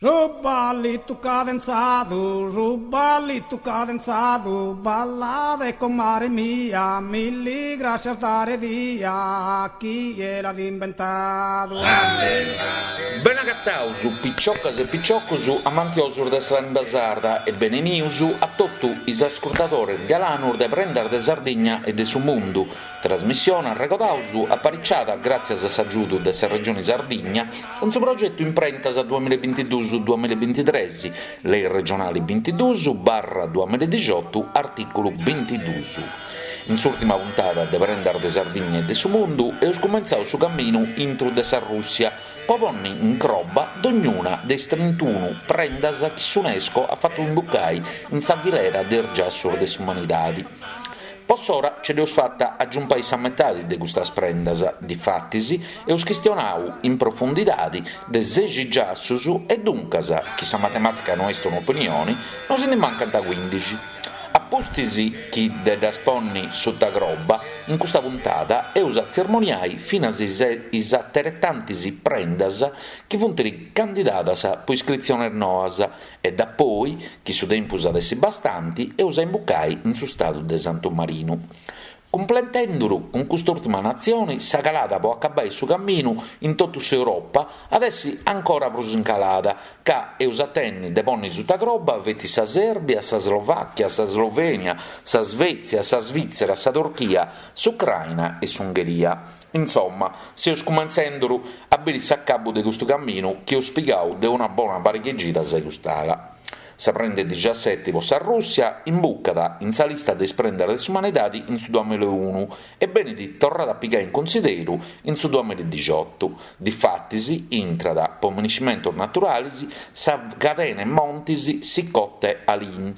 Su ballitu cadenzadu, su ballitu cadenzadu, ballade comare mia, milli grascias dare dia, chie l'at imbentadu. Benagataus piciocas e piciocus amantiosus de sa limba sarda e benenius a totu is ascurtadores galanus de Prendas de Sardigna e de su Mundu, Trasmissione, arregodaus, apariciada gràtzias a s'agiudu de sa Regioni Sardigna cun su progetu Imprentas duamillabintiduus duamillabintitres, Lei regionali bintiduus barra duamilladixotu, artìculu bintiduus. In s'ùrtima puntada de Prendas de Sardigna e de su Mundu eus cumentzau su caminu intru de sa Rùssia po ponni in croba dognuna de is trintunu prendas chi s'Unesco at fatu imbucai in sa filera de is giassus de s'umanidadi. Po s'ora ce dd'eus fata a giumpai sa metadi de custas prendas, difatis eus chistionau in profundidadi de sexi giassus e duncas, chi sa matematica no est un'opinioni, nos ndi mancant cuindixi. A pustis chi de ddas ponni suta croba, in custa puntada eus a tzermoniai finas is ateretantis prendas chi funt candidadas po iscritziones noas E dapoi, chi su tempus at essi bastanti, eus a imbucai in su stadu de Santu Marinu. Cumplentenduru cun cust'ùrtima natzioni, sa calada po acabai su caminu in totu s'Europa at essi ancora prus in calada, ca eus a tenni de ponni suta croba feti sa Sèrbia, sa Slovàchia, sa Slovènia, sa Svètzia, sa Svìtzera, sa Turchia, s'Ucraina e s'Ungheria. Insomma, seus cumentzenduru a biri s'acabu de custu caminu chi eus pigau de una bona pariga 'e cidas a cust'ala. Sa prenda 'e dixaseti po sa Rùssia imbucat in sa lista de is prendas de s'umanidadi in su duamillaunu e benit torrada a pigai in cunsideru in su duamilladixotu. Difatis intrat po miniscimentus naturalis sa cadena 'e montis Sikhote Alin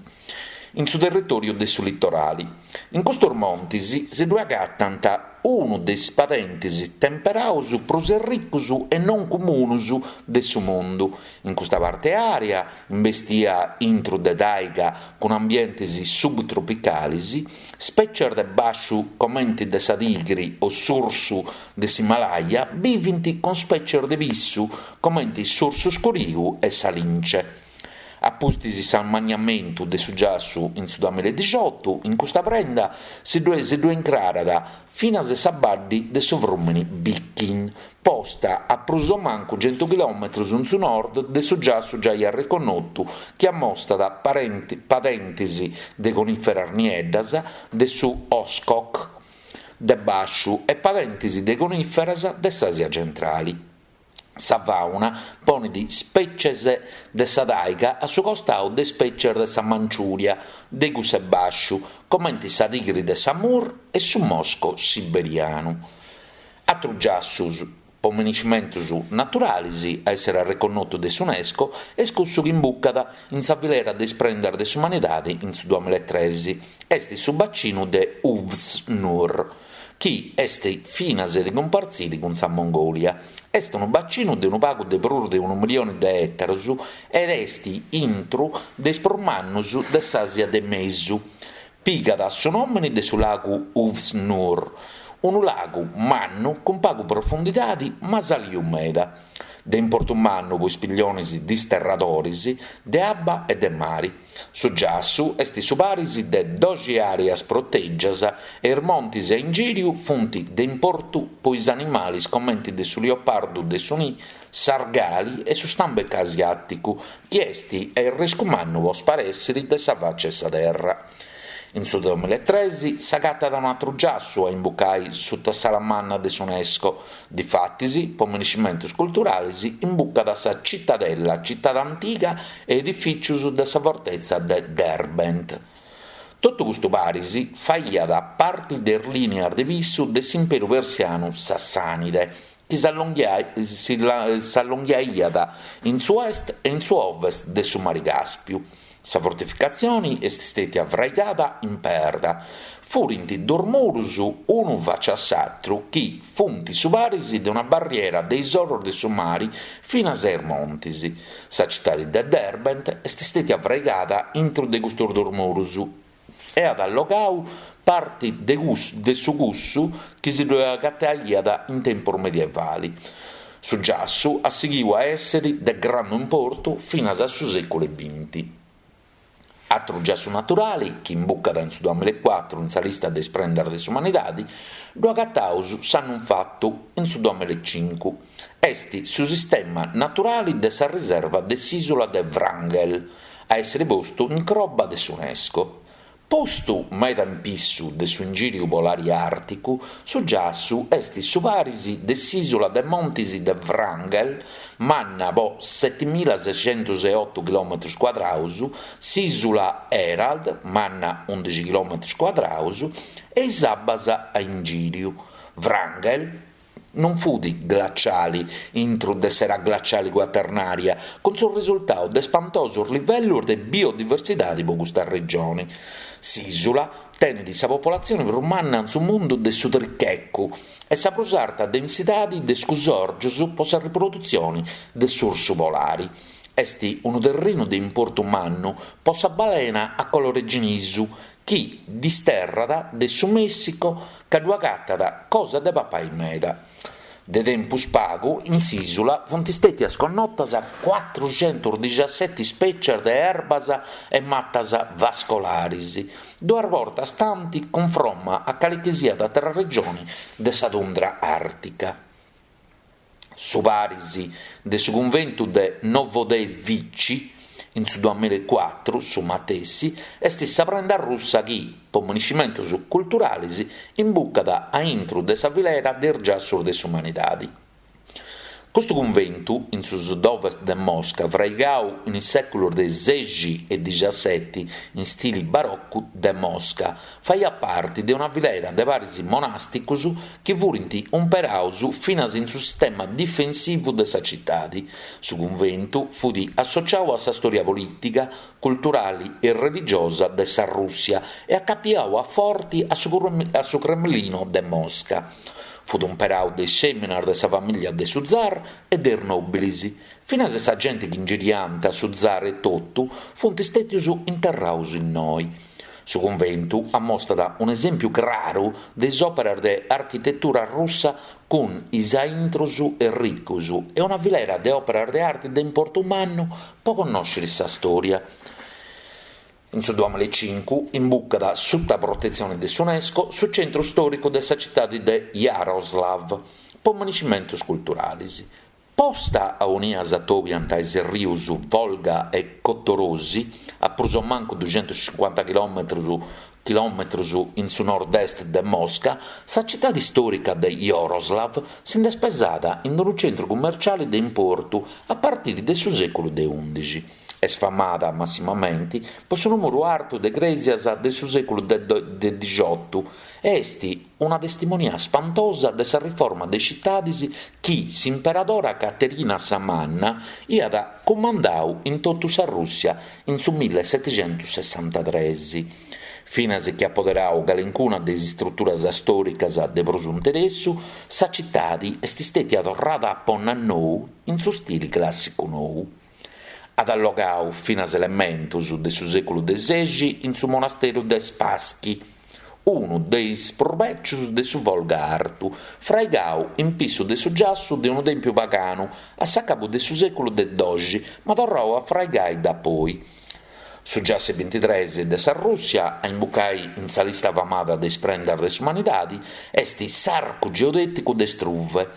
in su territòriu de su litorali. In custus montis si ddue agatant unu de is padentis temperaus prus erricus e non comunus de su mundu. In custa parte area, imbestia intru de taiga cun ambientes subtropicalis, spècies de bàsciu comenti de sa tigri o s'ursu de s'Himalaya bivint cun spècies de pissu comenti s'ursu scuriu e sa lince. A pustis s'ammanniamentu de su giassu in su duamiladixotu, in custa prenda si ddue si ddue incrarat finas sa baddi de su frùmini Bikin, posta a prus o mancu centu chilòmetrus in su nord de su giassu giai arreconnotu chi ammostat padentis de conìferas nieddas de su Oskok de bàsciu e padentis de conìferas de s'Àsia centrali. Sa fàuna ponit spècies de sa taiga a su costau de spècies de sa Manciùria de cuss'e bàsciu, comenti sa tigri de s'Amur e su mosco siberianu. Atrus giassus po miniscimentus naturalis a èssere arreconnotu de s'Unesco est cussu chi imbucat in sa filera de is prendas de s'umanidadi in su duamillaetres, est su bacinu de Uvs Nuur. chi est finas de cumpartziri cun sa Mongòlia. Est unu bacinu de unu pagu de prus de unu milioni de ètaros ed est intru de is prus mannus de s'Àsia de Mesu. Pigat su nòmini de su lagu Uvs Nuur, unu lagu mannu cun pagu profundidadi ma saliu meda. De importu mannu po is pillionis disterradoris de abba e de mari. Su giassu est su paris de doxi àreas protègias e is montis a ingìriu funt de importu po is animalis comenti de su liopardu de su nì, s'argali e su stambeca asiàticu, chi est a arriscu mannu po sparèssiri de sa faci 'e sa terra. In su duamillaetres s'agatat un'atru giassu a imbucai suta s'ala manna de s'Unesco, difatis po miniscimentus culturalis imbucat sa Citadella, citade antiga e edifìcius de sa fortetza de Derbent. Totu custu paris faiat parti de is lìnias de pissu de s'imperu persianu Sassànide, chi s'allonghiaiat in su est e in su ovest de su Mari Càspiu. Sa fortificatzioni est stètia fraigada in perda. Furint dus murus unu faci a s'atru chi funt su paris de una barriera de is orus de su mari finas a is montis. Sa citadi de Derbent est stètia fraigada intru de custus dus murus e at allogau parti de su cussu chi si ddue agataiat in tempus medievali. Su giassu at sighiu a èssere de grandu importu finas a su sèculu 'e binti. Atru giassu naturali chi imbucat in su duamillaecuatru in sa lista de is prendas de s'umanidadi, ddu agataus s'annu infatu, in su duamillaecincu. Est su sistema naturali de sa riserva de s'ìsula de Wrangel, a èssere postu in croba de s'Unesco. Postu meda in pissu de su ingìriu polari àrticu, su giassu est su paris de s'ìsula de montis de Wrangel, manna po setimilasescentuseotu chilòmetrus cuadraus, s'ìsula Herald, manna undixi chilòmetrus cuadraus, e is abbas a ingìriu. Wrangel Non fut glaciali intru de s'era glaciali cuaternària, cun su risultau de spantosus livellus de biodiversidadi po custa regioni. S'ìsula tenit sa popolatzioni prus manna in su mundu de su trichecu e sa prus arta densidadi de scusòrgius po sa riprodutzioni de s'ursu polari. Est unu terrinu de importu mannu po sa balena a colore ginisu chi disterrat de su Mèssico ca ddu agatat cosa de papai meda. De tempus pagu in s'ìsula funt stètias connotas cuatruxentusdixaseti spècias de erbas e matas vascolaris, duas bortas tanti cunfromma a calichisiat àtera regioni de sa tundra àrtica. Su paris de su cunventu de Novodevichy, in su duamillaecuatru, su matessi, est sa prenda russa chi, po moniscimentos culturales, imbucat a intru de sa filera de is giassos de s'umanidade. Custu cunventu, in su sud-ovest de Mosca, fraigau in is sèculos de sexi e dixaseti in stili barocu de Mosca, Faiat parti de una filera de paris monàsticos chi furint umperados finas in su sistema difensivu de sa citade. Su cunventu fut associadu a sa stòria polìtica, culturale e religiosa de sa Rùssia e acapiadu a forti a su Cremlino de Mosca. Fut umperadu de is fèminas de sa famìllia de su zar e de is nòbiles. Finas sa genti chi ingiriànt su zar etotu funt stètios interrados innoi. Su cunventu ammostat un'esèmpiu craru de is òperas de architetura russa cun is aintrus erricus e una filera de òperas de arti de importu mannu po connòscere sa stòria. In su duamillaecincu imbucat suta protetzione de s'Unesco su centru stòricu de sa citadi de Jaroslav po moniscimentus culturalis. Posta aunia s'atobiant is rius Volga e Kotorosi, a prus o mancu duxentuscincuanta chilòmetrus in su nord-est de Mosca, sa citadi istòrica de Jaroslav si nd'est pesada in unu centru cummerciali de importu a partiri de su sèculu de ùndixi. Est famada massimamenti po su nùmeru artu de crèsias de su sèculu de dixotu e est una testimonia spantosa de sa riforma de is citadis chi s'imperadora Caterina sa Manna iat cumandau in totu sa Rùssia in su millesetixentussessantatres. Finas chi at poderau calincuna de is istruturas stòricas de prus interessu, sa citadi est stètia torrada a ponni a nou in su stili clàssicu nou. At allogau finas elementus de su sèculu de sexi in su monasteru de Spassky, unu de is prus bècius de su Volga Artu, fraigau in pissu de su giassu de unu tèmpiu paganu a s'acabu de su sèculu de doxi, ma torrau a fraigai dapoi. Su giassu 'e bintitres de sa Rùssia a imbucai in sa lista famada de is prendas de s'umanidadi est s'Arcu Geodèticu de Struve,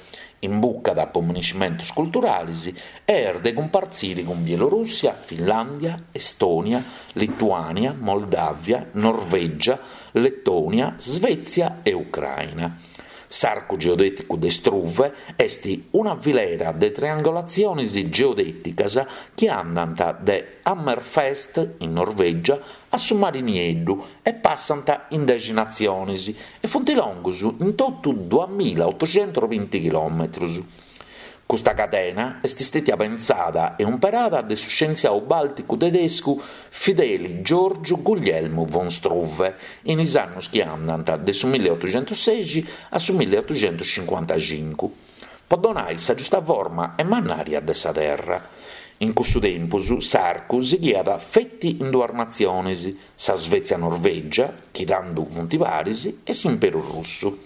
Imbucat po moniscimentus culturalis e est de cumpartziri cun Bielorùssia, Finlàndia, Estònia, Lituània, Moldàvia, Norvègia, Letònia, Svètzia e Ucràina. S'Arcu geodèticu de Struve est una filera de triangolatziones geodèticas chi andant de Hammerfest, in Norvègia, a su Mari Nieddu e passant in dexi natziones e funt longus in totu duamilaotoxentusbinti chilòmetrus. Custa cadena est stètia pentzada e umperada de su scientziau bàlticu tedescu Fideli Giorgiu Guglielmu von Struve in is annus chi andant de su milleotoxentussexi a su milleotoxentuscincuantacincu, po donai sa giusta forma e mannària de sa Terra. In cussu tempus s'arcu sighiat feti in duas natziones, sa Svètzia-Norvègia, chi tando funt paris, e s'Imperu Russu.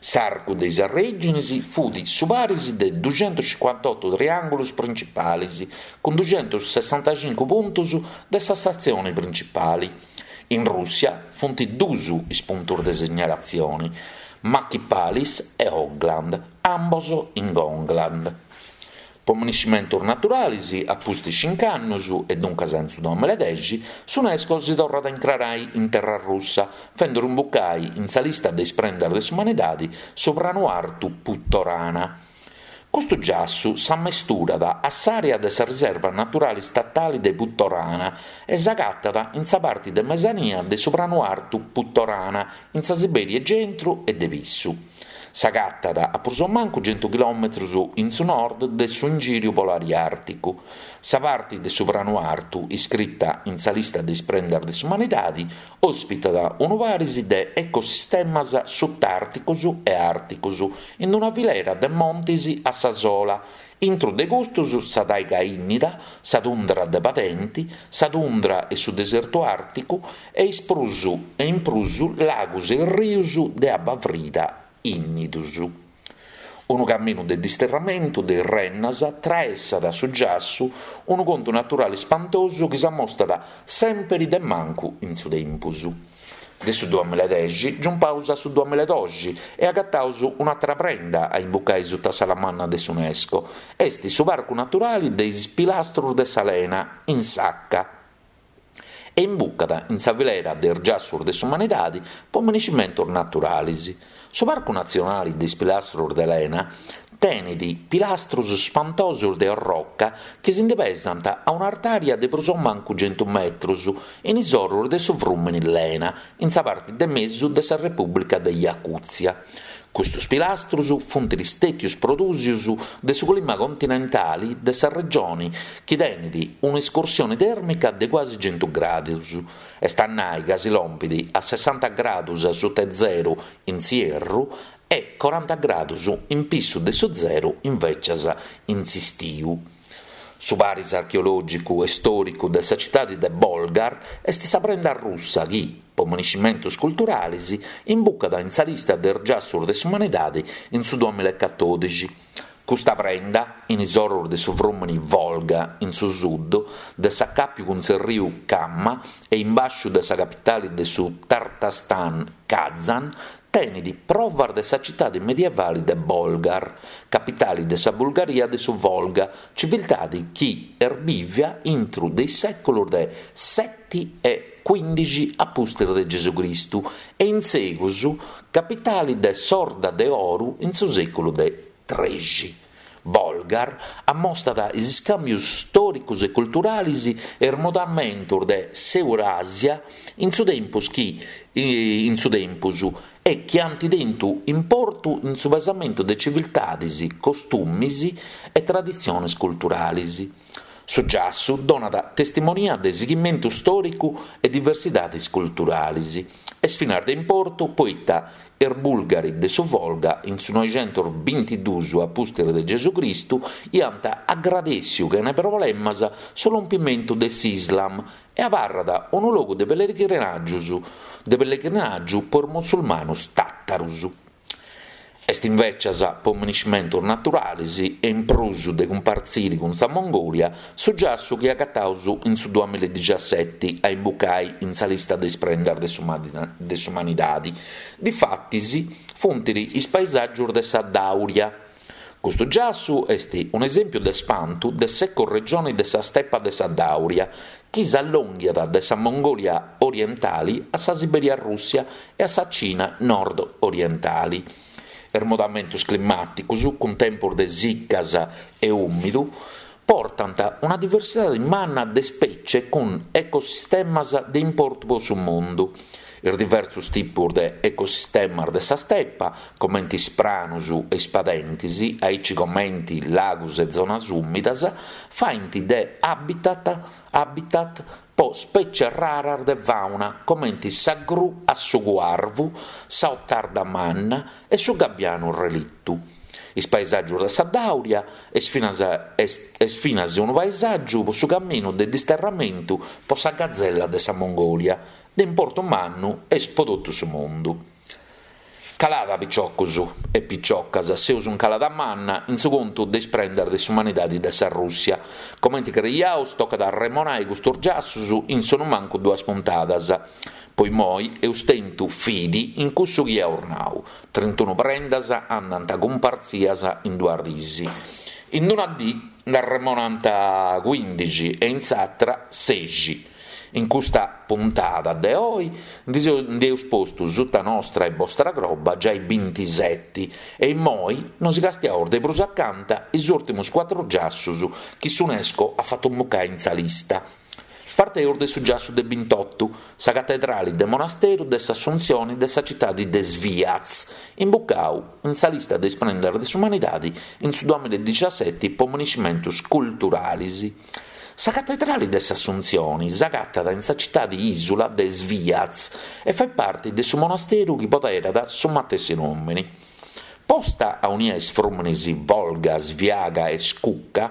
S'arcu de is arrèginis fut su paris de duxentuscincuantotu triàngulus principalis, cun duxentussessantacincu puntus de sa statzioni principali. In Rùssia funt duus is puntus de segnalatzioni, Machì Palis e Hogland, ambos in Gogland. Po miniscimentus naturalis, a pustis cinc'annus, e duncas in su duamiladexi, s'Unesco si torrat a incrarai in terra russa, fenduru imbucai in sa lista de is prendas de s'umanidadi su pranu artu Putorana. Custu giassu s'ammesturat a s'àrea de sa riserva naturali statali de Putorana e s'agatat in sa parti de mesania de su pranu artu Putorana, in sa Sibèria centru e de pissu. S'agatat a prus o mancu centu chilòmetrus in su nord de su ingìriu polari àrticu. Sa parti de su pranu artu, iscrita in sa lista de is prendas de s'umanidadi, òspitat unu paris de ecosistemas sutàrticus e àrticus in una filera de montis a sa sola, Intru de custus sa taiga ìnnida, sa tundra de padenti, sa tundra e su desertu àrticu e is prus e in prus lagus e rius de abba frida ìnnidus. Unu caminu de disterramentu de is rennas traessat su giassu, unu contu naturali spantosu chi s'ammostat sèmpiri de mancu in su tempus. De su duamiladexi giumpaus a su duamiladoxi e agataus un'atra prenda a imbucai suta s'ala manna de s'Unesco, est su Parcu Naturali de is Pilastrus de sa Lena, in Sakha, e imbucat in sa filera de is giassus de s'umanidadi po miniscimentus naturalis. Su Parcu Natzionali de is Pilastrus de Lena tenit pilastrus spantosus de orroca chi si ndi pesant a un'artària de prus o mancu centu metrus in is orus de su frùmini Lena, in sa parti de mesu de sa Repùblica de Jacùtzia. Custus pilastrus funt stètius prodùsius de su clima continentali de sa regioni chi tenit un'escursioni tèrmica de cuasi centu gradus, est a nai ca si lompit a sessanta gradus a suta 'e zeru in s'ierru e coranta gradus in pissu de su zeru invècias in s'istiu. Su paris archeològicu e stòricu de sa citadi de Bolgar est sa prenda russa chi, po miniscimentus culturalis, imbucat in sa lista de is giassus de s'umanidadi in su duamilaecatòdixi. Custa prenda, in is orus de su frùmini Volga in su sud, de s'acàpiu cun s'erriu Kama e in bàsciu de sa capitali de su Tartastan, Kazan, tenit provas de sa citadi medievali de Bolgar, capitali de sa Bulgaria de su Volga, civiltadi chi est bìvia intru de is sèculus de seti e cuìndixi a pustis de Gesù Cristu e in segus capitali de s'Orda de Oru in su sèculu de trexi. Bolgar ammostat is iscàmbius stòricus e culturalis e is mudamentus de s'Euràsia in su tempus chi in su tempus e chi ant tentu importu in su pesamentu de civiltadis, costumis e traditziones culturalis. Su giassu donat testimonia de sighimentu stòricu e diversidadis culturalis. Est finas de importu poita Is Bulgari de su Volga in su noixentusbintiduus a pustis de Gesù Cristu iant agradèssiu chene problemas su lompimentu de s'Islam e abarrat unu logu de pellegrinàgius de pellegrinàgiu po is musulmanus tàtarus. Est invècias po miniscimentus naturalis e in prus de cumpartziri cun sa Mongòlia su giassu chi agataus in su duamiladixiaseti a imbucai in sa lista de is prendas de s'umanidadi, difatis funt is paesàgius de sa Dàuria. Custu giassu est un'esèmpiu de spantu de s'ecoregioni de sa stepa de sa Dàuria, chi s'allònghiat de sa Mongòlia orientali a sa Sibèria Rùssia e a sa Cina nord-orientali. Is mudamentus climàticus, cun tempus de sicas e ùmidu, portant una diversidadi manna de spècie cun ecosistemas de importu po su mundu. Is diversus tipus de ecosistemas de sa stepa, comenti is pranus e is padentis, aici comenti lagus e zonas ùmidas, faint de habitat habitat po spècies raras de fàuna comenti sa gru a sugu arvu, sa otarda manna e su gabbianu relittu. Is paesàgius de sa Dàuria est finas est finas unu paesàgiu po su caminu de disterramentu po sa gazella de sa Mongòlia, de importu mannu est po totu su mundu. Calada piciocus e piciocas, seus in calada manna in su contu de is prendas de s'umanidadi de sa Russia. Comenti creiaus tocat a arremonai custus giassus in sonumancu duas puntadas. Po immoi eus tentu fidi in cussu chi eus nau, trintunu prendas andant cumpartzias in duas dis. In una dì nd'arremonant cuindixi e in s'atra sexi. In custa puntada de oi nd'eus postu suta nostra e bostra croba giai bintiseti e immoi nosi castiaus de prus acanta is ùrtimus cuatru giassus chi s'Unesco at fatu imbucai in sa lista. Parteus de su giassu de bintotu, sa catedrali de monasteru de s'Assuntzioni de sa citadi de Sviaz, imbucau in sa lista de is prendas de s'umanidadi in su duamilla e diciaseti po moniscimentus culturalis. Sa catedrali de s'Assuntzioni s'agatat in sa citadi ìsula de Sviaz e fait parti de su monasteru chi poderat su matessi nòmini. Posta aunia is frùminis Volga, Sviaga e Scucca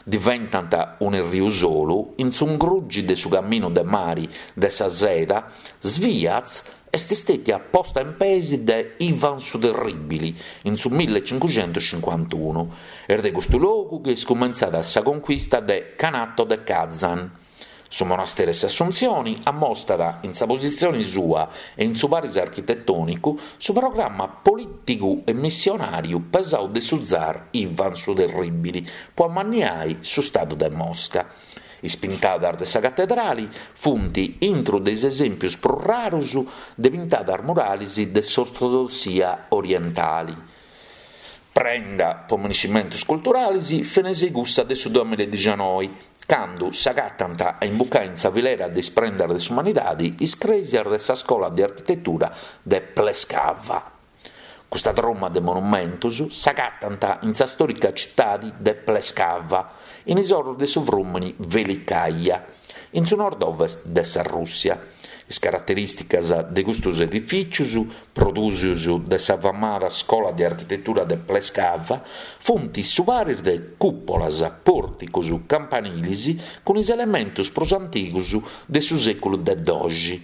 diventant un'erriu solu, in su ingrugi de su caminu de mari de sa seda, Sviaz Est stètia posta in peis de Ivan su Terribili in su millecincuxentuscincuantunu. Est de custu logu chi est cumentzada sa conquista de Khanato de Kazan. Su monasteru 'e s'Assuntzioni ammostat in sa positzioni sua e in su paris architetònicu su programma polìtigu e missionàriu pesau de su zar Ivan su Terribili po ammanniai su stadu de Mosca. Is pintadas de sa catedrali funt intru de is esèmpius prus rarus de pintadas muralis de s'ortodossia orientali. Prenda po miniscimentus culturalis finas cussa de su duamilla e dixanoi, candu s'agatant a imbucai in sa filera de is prendas de s'umanidadi is crèsias de sa scola de architetura de Plescava. Custa truma de monumentus s'agatant in sa stòrica citadi de Plescava, in is orus de su frùmini Velikaja, in su nord-ovest de sa Rùssia. Is caraterìsticas de custus edifìcius, prodùsius de sa famada Scola de Architetura de Plescava, funt su paris de cùpolas, pòrticus, campanilis cun is elementus prus antigus de su sèculu de doxi.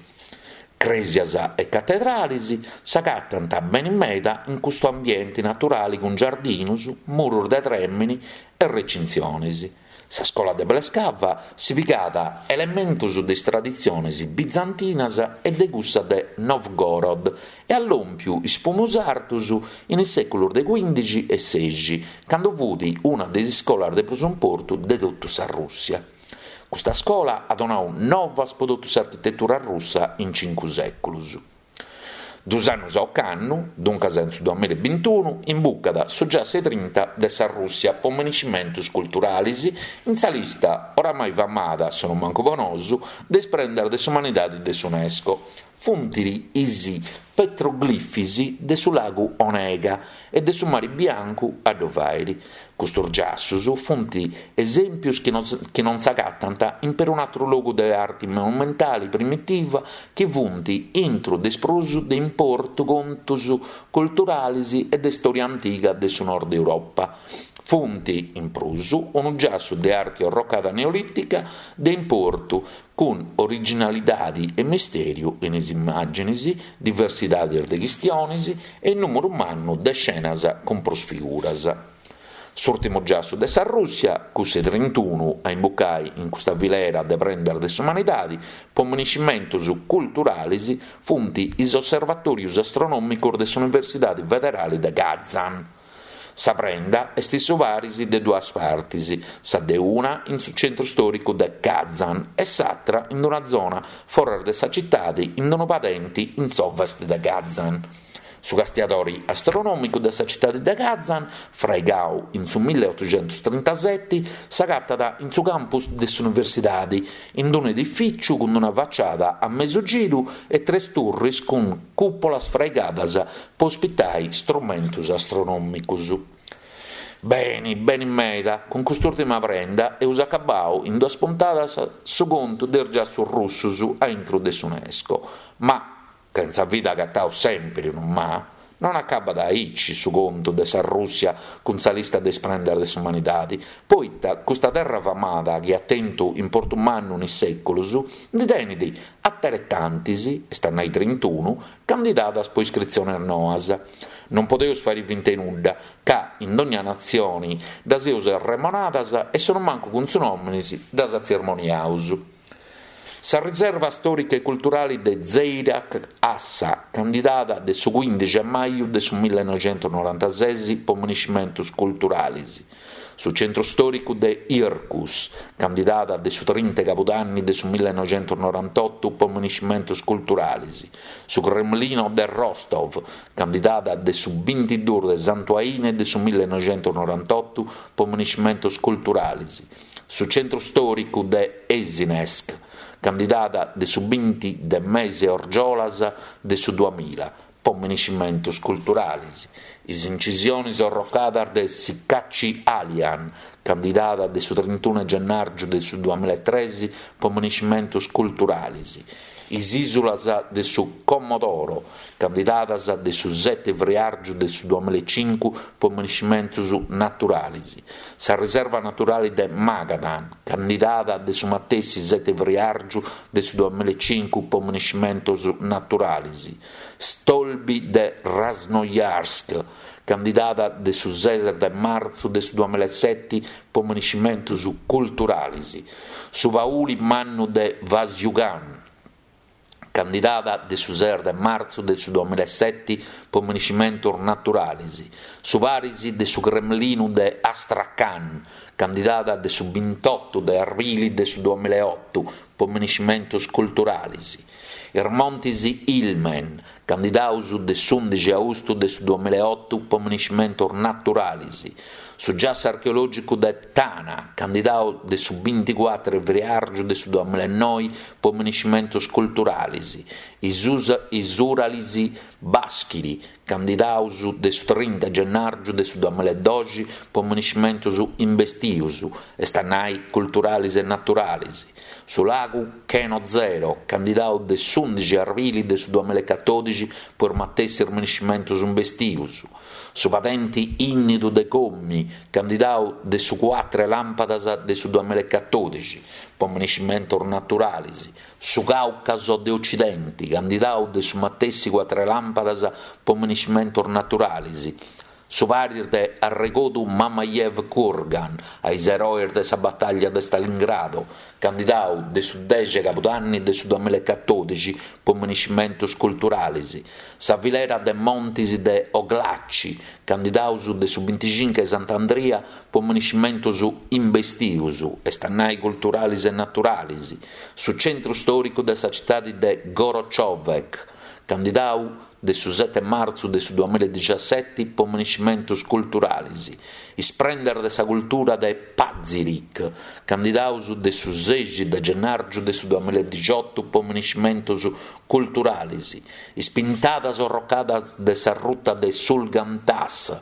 Crèsias e catedralis s'agatant beni meda in custu ambienti naturali cun giardinus, murus de trèmini e recintzionis. Sa scola de Plescava si pigat elementus de is traditzionis bizantinas e de cussa de Novgorod e at lòmpiu is pumus artus in is sèculus de cuindixi e sexi, candu fut una de is iscolas de prus importu de totu sa Rùssia. Custa scola at donau novas po totu s'architetura russa in cincu sèculus. Dus annus a ocannu, duncas in su duamilla e bintunu, imbucat su giassu 'e trinta de sa Rùssia po miniscimentus culturalis in sa lista, oramai famada, sonumancu po nosu, de is prendas de s'umanidadi de s'Unesco. Funt is petroglifis de su lagu Onega e de su mari Biancu a ddu fàiri. Custus giassus funt esèmpius chi chi non s'agatant in perun'atru logu de arti monumentali primitiva chi funt intru de is prus de importu contus culturalis e de stòria antiga de su nord Europa. Funt, in prus, unu giassu de arti orrocada neolìtica de importu cun originalidadi e mistèriu in is immàginis, diversidadis de chistionis e nùmeru mannu de scenas cun prus figuras. S'ùrtimu giassu de sa Rùssia, cussu 'e trintunu a imbucai in custa filera de prendas de s'umanidadi po miniscimentus culturalis, funt is osservatòrius astronòmicus de s'Universidadi Federali de Kazan. Sa prenda est su paris de duas partis, sa de una in su centru stòricu de Kazan e s'atra in una zona foras de sa citadi in unu padenti in s'ovest de Kazan. Su castiadori astronòmicu de sa citadi de Kazan, fraigau in su milleotuxentustrintaseti, s'agatat in su campus de s'universidadi, in unu edifìciu cun una faciada a mesu giru e tres turris cun cùpolas fraigadas po ospitai strumentus astronòmicus. Beni, beni meda, cun cust'ùrtima prenda eus acabau in duas puntadas su contu de is giassus russus a intru de s'Unesco. Ma, ca in sa vida agataus sèmpiri unu ma, Non acabat aici su contu de sa Rùssia cun sa lista de is prendas de s'umanidadi, poita custa terra famada chi at tentu importu mannu in is sèculus, ndi tenit ateretantis, est a nai trintunu, candidadas po iscritziones noas. Non podeus fàiri finta 'e nudda, ca in dogna natzioni ddas eus arremonadas e sonumancu cun su nòminis ddas atzirmoniaus. Sa riserva stòrica e culturali de Zeirak Assa, candidada de su cuìndixi 'e maju de su millenoixentusnorantases po miniscimentus culturalis. Su centru stòricu de Ircus, candidada de su trinta 'e cabudanni de su millenoixentusnorantotu po miniscimentus culturalis. Su Cremlino de Rostov, candidada de su bintiduus de Santu Aine de su millenoixentusnorantotu po miniscimentus culturalis. Su centru stòricu de Esinèsk, candidada de su binti de mese orgiolas de su duamilla, po miniscimentus culturalis. Is incisionis orrocadas de Sikatchi Alian, candidada de su trintunu 'e gennàrgiu de su duamillaetres po miniscimentus culturalis. Is ìsulas de su Comodoro, candidadas de su sete friàrgiu de su duamillaecincu po miniscimentus naturalis. Sa riserva naturali de Magadan, candidada de su matessi sete friàrgiu de su duamillaecincu po miniscimentus naturalis. Stolby de Krasnojarsk, candidada de su ses de martzu de su duamillaeseti po miniscimentus culturalis. Su pauli mannu de Vasyugan, candidada de su ses de martzu de su duamillaeseti po miniscimentus naturalis. Su paris de su Cremlinu de Astrakhan, candidada de su bintotu de arbili de su duamillaeotu po miniscimentus culturalis. Is montis Ilmen, candidaus de s'undixi austu de su duamillaeotu po miniscimentus naturalis. Su giassu archeològicu de Tana, candidau de su binticuatru 'e friàrgiu de su duamillaenoi po miniscimentus culturalis. Is is Uralis Baschiri, candidaus de su trinta 'e gennàrgiu de su duamillaedoxi po miniscimentus imbestius, est a nai culturalis e naturalis. Su lagu Kenozero, candidau de s'undixi arbili de su duamillaecatòdixi po is matessis miniscimentus imbestius. Su padenti ìnnidu de Comi, candidau de su cuatru 'e làmpadas de su duamillaecatòdixi po miniscimentus naturalis. Su Càucaso de Ocidenti, candidau de su matessi cuatru 'e làmpadas po miniscimentus naturalis. Su paris de arregodu Mamayev Kurgan a is eroes de sa batàllia de Stalingrado, candidau de su dexi 'e cabudanni de su duamillaecatòdixi po miniscimentus culturalis, sa filera de montis de Oglaci, candidaus de su binticincu 'e Sant'Andria po miniscimentus imbestius, est a nai culturalis e naturalis, su centru stòricu de sa citadi de Gorochovek, candidau de su sete martzu de su duamillaedixaseti po miniscimentus culturalis, is prendas de sa cultura de Pazirik, candidaus de su sexi de gennàrgiu de su duamillaedixotu po miniscimentus culturalis, is pintadas orrocadas de sa ruta de Sulgan-Tas,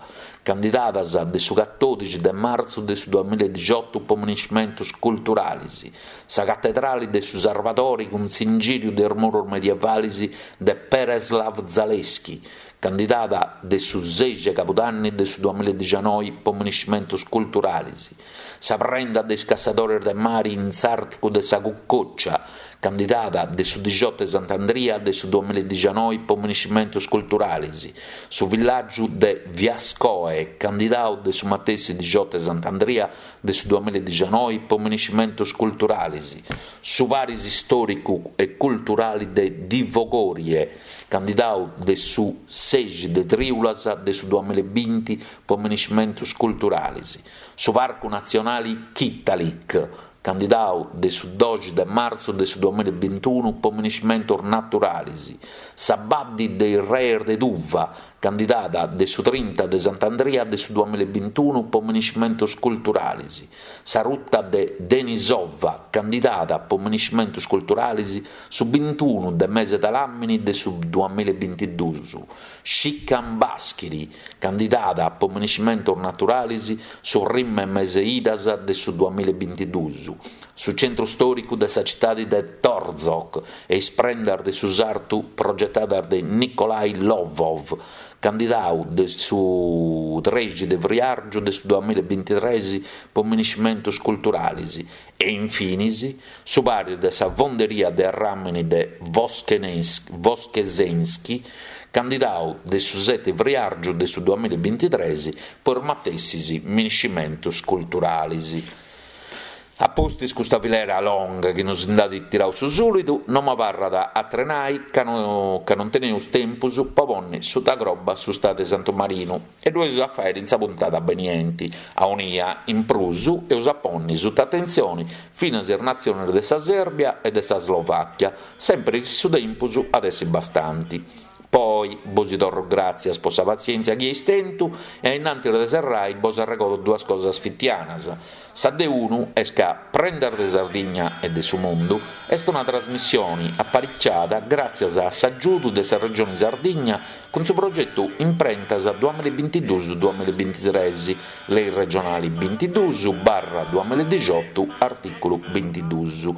candidadas de su catòdixi de martzu de su duamillaedixotu po miniscimentus culturalis, Sa catedrali de su Sarvadori cun s'ingìriu de is murus medievalis de Pereslav Zalesky, candidada de su sexi 'e cabudanni de su duamillaedixanoi po miniscimentus culturalis. Sa prenda de is cassadores de mari in s'Àrticu de sa Cucòcia, candidada de su dixiotu 'e Sant'Andria de su duamillaedixanoi po miniscimentus culturalis. Su villàgiu de Viascoe, candidau de su matessi dixiotu 'e Sant'Andria de su duamillaedixanoi po miniscimentus culturalis, su paris istòricu e culturali de Divogorie, candidau de su sexi de trìulas de su duamillaebinti po miniscimentus culturalis, su Parcu Natzionali Chitalik, candidau de su doxi de martzu de su duamillaebintunu po miniscimentus naturalis, sa Baddi de is Reis de Tuva, candidada de su trinta de Sant'Andria de su duamillaebintunu po miniscimentus culturalis, sa ruta de Denisova, candidada po miniscimentus culturalis su bintunu de mese de làmini de su duamillaebintiduus, Shikan Baschiri, candidada po miniscimentus naturalis su primu 'e mese idas de su duamillaebintiduus, su centru stòricu de sa citadi de Torzhok e is prendas de su sartu progetadas de Nikolai Lovov, candidau de su trexi de friàrgiu de su duamilla e bintitres po miniscimentus culturalis e infinis su paris de sa fonderia de arràmini de Voskresensky, candidau de su seti friàrgiu de su duamilla e bintitres po is matessis miniscimentus culturalis. A pustis custa filera longa chi nos nd'at tirau su sùlidu, no m'abarrat atru 'e nai ca ca non teneus tempus po ponni suta croba su Stadu de Santu Marinu e ddu eus a fàiri in sa puntada benienti, aunia in prus eus a ponni suta atentzioni finas is natzionis de sa Sèrbia e de sa Slovàchia, sempri chi su tempus at essi bastanti. Po oi bosi torro gràtzias po sa patzièntzia chi eis tentu e a innantis de serrai bos arregodo duas cosas fitianas. Sa de unu est ca Prendas de Sardigna e de su Mundu est una trasmissioni apariciada gràtzias a s'agiudu de sa Regioni Sardigna cun su progetu Imprentas duamillabintiduus duamillabintitres, Lei regionali bintiduus barra duamilladixotu artìculu bintiduus.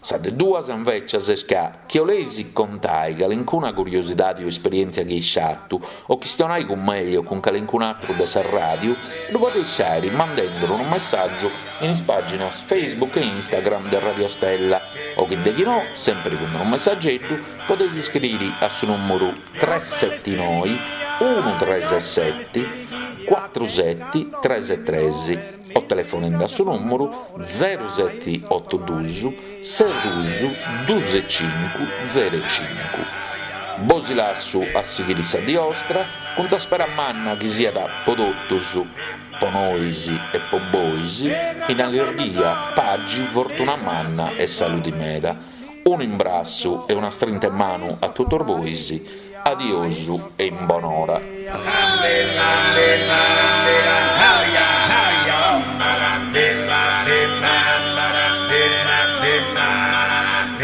Sa de duas, invècias, est ca, chi 'oleis contai calincuna curiosidadi o esperièntzia chi eis fatu, o chistionai cun mei o cun calincun'atru de sa ràdiu, ddu podeis fàiri mandenduru unu messàgiu in is pàginas Facebook e Instagram de Radio Stella, o chi de chi no, sèmpiri cun unu messageddu, podeis iscriri a su nùmuru tres seti noi unu tres seti cuatru seti tres tres. o telefonendi a su nùmuru zeru seti otu dus ses dus dus e cincu zeru e cincu. Bosi lassu a sighiri sa dì 'ostra cun sa spera manna chi siat po totus, po nois e po bois, in allirghia, pagi, fortuna manna e saludi meda. Unu imbrassu e una strinta 'e manu a totus bois, adiosu e in bonora.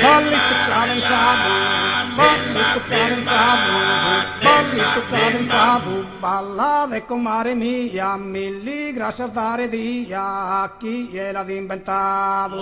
Ballitu cadenzadu, ballitu cadenzadu, ballitu cadenzadu, ballade comare mia, milli grascias dare dia, chie l'at imbentadu.